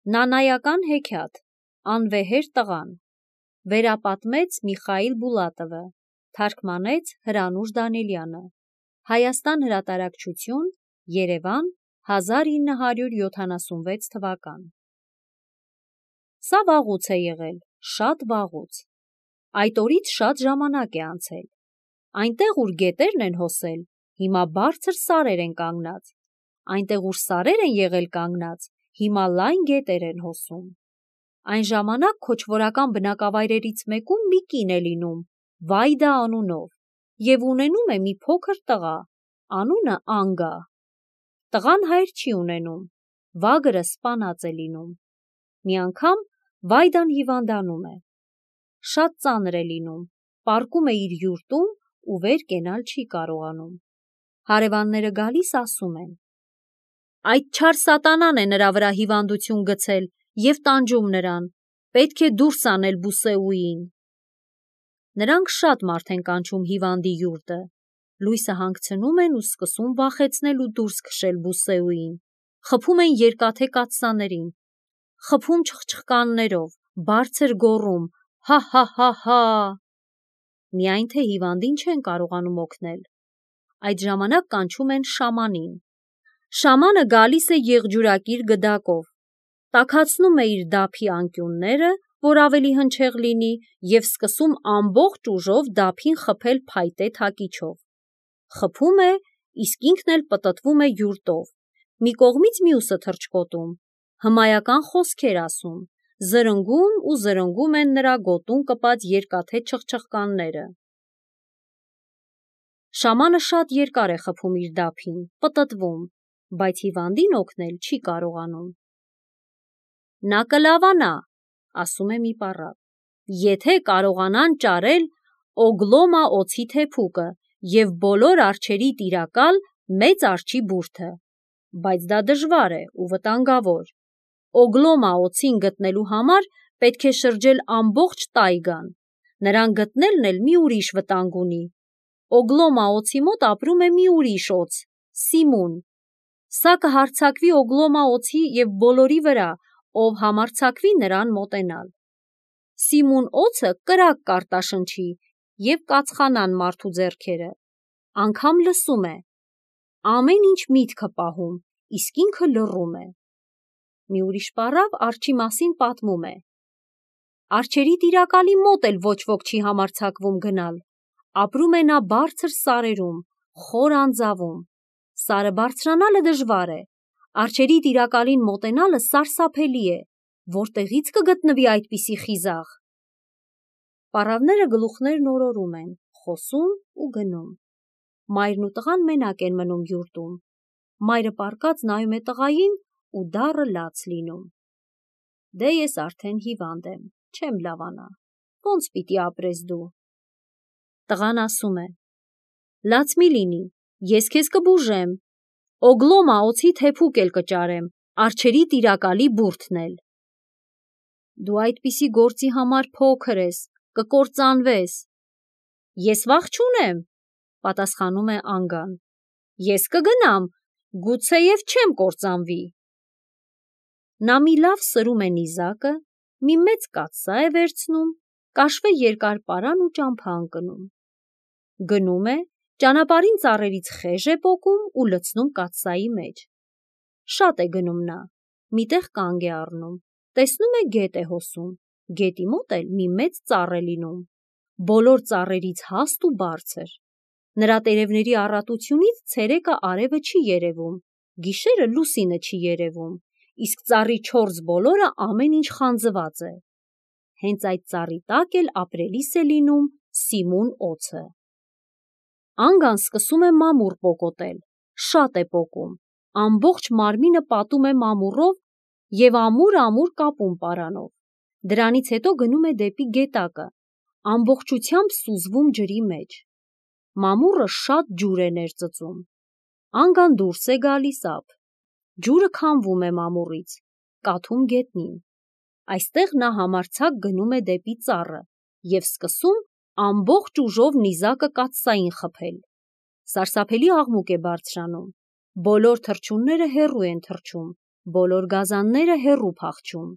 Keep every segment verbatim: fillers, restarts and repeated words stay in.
Նանայական հեքիաթ, անվեհեր տղան, վերապատմեց Միխայիլ Բուլատովը, թարգմանեց Հրանուշ Դանիելյանը, Հայաստան հրատարակչություն, Երևան, հազար ինը հարյուր յոթանասունվեց թվական։ Սա վաղուց է եղել, շատ վաղուց։ Այդ օրից շատ ժամանակ է անցել։ Այնտեղ, ուր գետերն են հոսել, հիմա բարձր սարեր են կանգնած։ Այնտեղ, ուր սարեր են եղել կանգնած, հիմա լայն գետեր են հոսում։ Այն ժամանակ քոչվորական բնակավայրերից մեկում մի կին է լինում, Վայդա անունով, և ունենում է մի փոքր տղա, անունը Անգա։ Տղան հայր չի ունենում, վագրը սպանած է լինում։ Մի անգամ Վայդան հիվանդանում է։ Շատ ծանր է լինում, պառկում է իր յուրտում ու վեր կենալ չի կարողանում։ Հարևանները գալիս ասում են. «Այդ չար սատանան է նրա վրա հիվանդություն գցել և տանջում նրան, պետք է դուրս անել Բուսեուին»։ Նրանք շատ մարդ են կանչում հիվանդի յուրտը, լույսը հանգցնում են ու սկսում վախեցնել ու դուրս քշել Բուսեուին, խփում են երկաթե կաթսաներին, խփում չխչխկաններով, բարձր գոռում «հա՛֊հա՛֊հա՛֊հա»։ Միայն թե հիվանդին չեն կարողանում օգնել։ Այդ ժամանակ կանչում են շամանին։ Շամանը գալիս է եղջյուրակիր գդակով, տաքացնում է իր դափի անկյունները, որ ավելի հնչեղ լինի, և սկսում ամբողջ ուժով դափին խփել փայտե թակիչով։ Խփում է, իսկ ինքն էլ պտտվում է յուրտով, մի կողմից մյուսը թռչկոտում, հմայական խոսքեր ասում, զրնգում ու զրնգում են նրա գոտուն կպած երկաթե չխչխկանները։ Շամանը շատ երկար է խփում իր դափին, պտտվում, բայց հիվանդին օգնել չի կարողանում։ «Նա կլավանա», ասում է մի պառավ, «եթե կարողանան ճարել Օգլոմա օձի թեփուկը և բոլոր արջերի տիրակալ մեծ արջի բուրդը, բայց դա դժվար է ու վտանգավոր։ Օգլոմա օձին գտնելու համար պետք է շրջել ամբողջ տայգան, նրան գտնելն էլ մի ուրիշ վտանգ ունի։ Օգլոմա օձի մոտ ապրում է մի ուրիշ օձ՝ Սիմուն։ Սա կհարձակվի Օգլոմա օձի և բոլորի վրա, ով համարձակվի նրան մոտենալ։ Սիմուն օձը կրակ կարտաշնչի և կածխանան մարդու ձեռքերը, անգամ լսում է, ամեն ինչ միտքը պահում, իսկ ինքը լռում է»։ Մի ուրիշ պառավ արջի մասին պատմում է. «Արջերի տիրակալի մոտ էլ ոչ ոք չի համարձակվում գնալ, ապրում է նա բարձր սարերում, խոր անձավում։ Սարը բարձրանալը դժվար է, արջերի տիրակալին մոտենալը սարսափելի է, որտեղի՞ց կգտնվի այդպիսի խիզախ»։ Պառավները գլուխներն օրորում են, խոսում ու գնում։ Մայրն ու տղան մենակ են մնում յուրտում։ Մայրը պառկած նայում է տղային ու դառը լաց լինում։ «Դե ես արդեն հիվանդ եմ, չեմ լավանա, ո՞նց պիտի ապրես դու»։ Տղան ասում է. «Լաց մի լինի, ես քեզ կբուժեմ, Օգլոմա օձի թեփուկ էլ կճարեմ, արջերի տիրակալի բուրդն էլ»։ «Դու այդպիսի գործի համար փոքր ես, կկործանվես»։ «Ես վախ չունեմ», պատասխանում է Անգան, «ես կգնամ, գուցեև չեմ կործանվի»։ Նա մի լավ սրում է նիզակը, մի մեծ կաթսա է վերցնում, կաշվե երկար պարան ու ճամփա ընկնում։ Գնում է, ճանապարհին ծառերից խեժ է պոկում ու լցնում կաթսայի մեջ։ Շատ է գնում նա, մի տեղ կանգ է առնում, տեսնում է գետ է հոսում, գետի մոտ էլ մի մեծ ծառ է լինում, բոլոր ծառերից հաստ ու բարձր։ Նրա տերևների առատությունից ցերեկը արևը չի երևում, գիշերը լուսինը չի երևում, իսկ ծառի չորս բոլորը ամեն ինչ խանձված է։ Հենց այդ ծառի տակ էլ ապրելիս է լինում Սիմուն օձը։ Անգան սկսում է մամուռ պոկոտել, շատ է պոկում, ամբողջ մարմինը պատում է մամուռով և ամուր-ամուր կապում պարանով։ Դրանից հետո գնում է դեպի գետակը, ամբողջությամբ սուզվում ջրի մեջ։ Մամուռը շատ ջուր է ներծծում։ Անգան դուրս է գալիս ափ, ջուրը քամվում է մամուռից, կաթում գետնին։ Այստեղ նա համարձակ գնում է դեպի ծառը և սկսում ամբողջ ուժով նիզակը կաթսային խփել։ Սարսափելի աղմուկ է բարձրանում, բոլոր թռչունները հեռու են թռչում, բոլոր գազանները հեռու փախչում։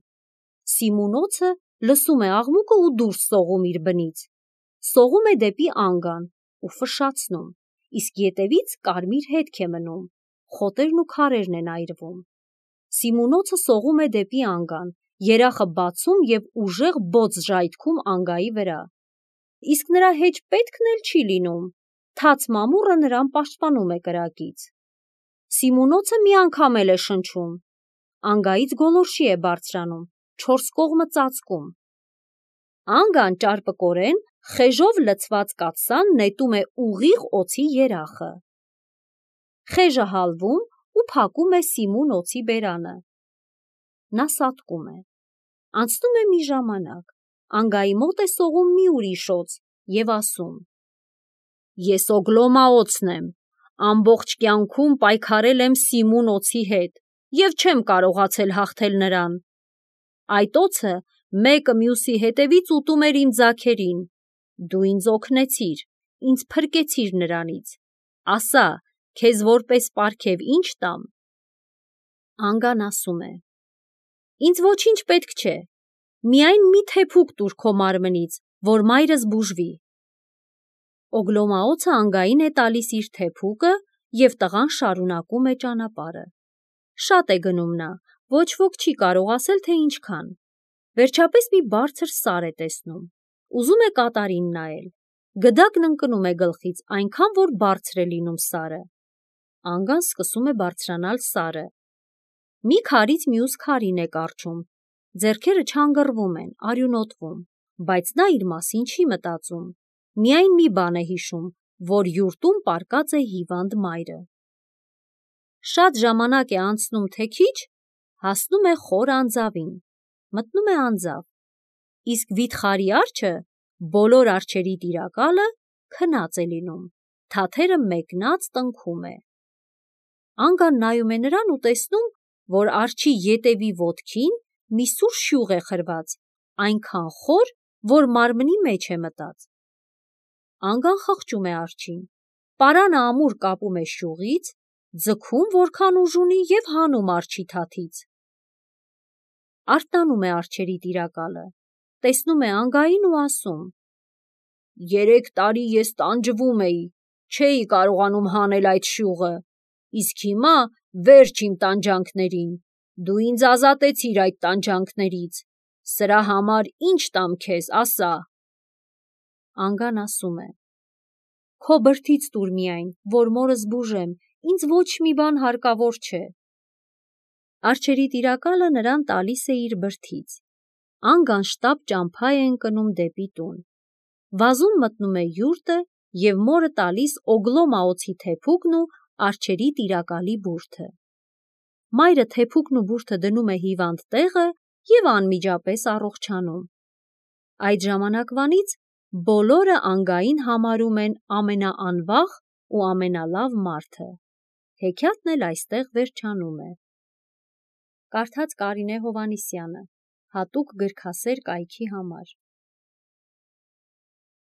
Սիմոնոցը լսում է աղմուկը ու դուրս սողում իր բնից։ Սողում է դեպի Անգան ու ֆշշացնում, իսկ ետևից կարմիր հետք է մնում, խոտերն ու քարերն են այրվում։ Սիմոնոցը սողում է դեպի Անգան, երախը բացում և ուժեղ բոց ժայթքում Անգայի վրա։ Իսկ նրա հեչ պետքն էլ չի լինում, թաց մամուռը նրան պաշտպանում է կրակից։ Սիմոնոցը մի անգամ էլ է շնչում, Անգայից գոլորշի է բարձրանում, չորս կողմը ծածկում։ Անգան ճարպկորեն խեժով լցված կաթսան նետում է ուղիղ օձի երախը։ Խեժը հալվում ու փակում է Սիմոնոցի բերանը։ Նա սատկում է։ Անցնում է մի ժամանակ, Անգայի մոտ է սողում մի ուրիշ օձ և ասում. «Ես Օգլոմաոցն եմ, ամբողջ կյանքում պայքարել եմ Սիմոնոցի հետ և չեմ կարողացել հաղթել նրան։ Այդ օձը մեկը մյուսի հետևից ուտում էր իմ ձագերին, դու ինձ օգնեցիր, ինձ փրկեցիր նրանից, ասա, քեզ որպես պարգև ի՞նչ տամ»։ Անգան ասում է. «Ինձ ոչինչ պետք չէ, միայն մի թեփուկ տուր քո մարմնից, որ մայրս բուժվի»։ Օգլոմաոցը Անգային է տալիս իր թեփուկը և տղան շարունակում է ճանապարհը։ Շատ է գնում նա, ոչ ոք չի կարող ասել, թե ինչքան։ Վերջապես մի բարձր սար է տեսնում, ուզում է կատարին նայել, գդակն ընկնում է գլխից այնքան, որ բարձր է լինում սարը։ Անգան սկսում է բարձրանալ սարը։ Մի քարից մյուս քարին է կառչում, ձեռքերը չանգռվում են, արյունոտվում, բայց նա իր մասին չի մտածում, միայն մի բան է հիշում, որ յուրտում պառկած է հիվանդ մայրը։ Շատ ժամանակ է անցնում, թե քիչ, հասնում է խոր անձավին, մտնում է անձավ, իսկ վիթխարի արջը, բոլոր արջերի տիրակալը, քնած է լինում, թաթերը մեկնած տնքում է։ Անգան նայում է նրան ու տեսնում, որ արջի ետևի ոտքին մի սուր շյուղ է խրված, այնքան խոր, որ մարմնի մեջ է մտած։ Անգան խղճում է արջին, պարանը ամուր կապում է շյուղից, ձգում որքան ուժ ունի և հանում արջի թաթից։ Արթնանում է արջերի տիրակալը, տեսնում է Անգային ու ասում. «Երեք տարի ես տանջվում էի, չէի կարողանում հանել այդ շյուղը, իսկ հիմա վերջ իմ տանջանքներին, դու ինձ ազատեցիր այդ տանջանքներից, սրա համար ի՞նչ տամ քեզ, ասա»։ Անգան ասում է. «Քո բրդից տուր միայն, որ մորս բուժեմ, ինձ ոչ մի բան հարկավոր չէ»։ Արջերի տիրակալը նրան տալիս է իր բրդից։ Անգան շտապ ճամփա է ընկնում դեպի տուն։ Վազում մտնում է յուրտը և մորը տալիս Օգլոմաոցի թեփուկն ու արջերի տիրակալի բուրդը։ Մայրը թեփուկն ու բուրդը դնում է հիվանդ տեղը և անմիջապես առողջանում։ Այդ ժամանակվանից բոլորը Անգային համարում են ամենաանվաղ ու ամենալավ մարդը։ Հեքիաթն էլ այստեղ վերջանում է։ Կարդաց Կարինե Հովհաննիսյանը, հատուկ գրքասեր կայքի համար։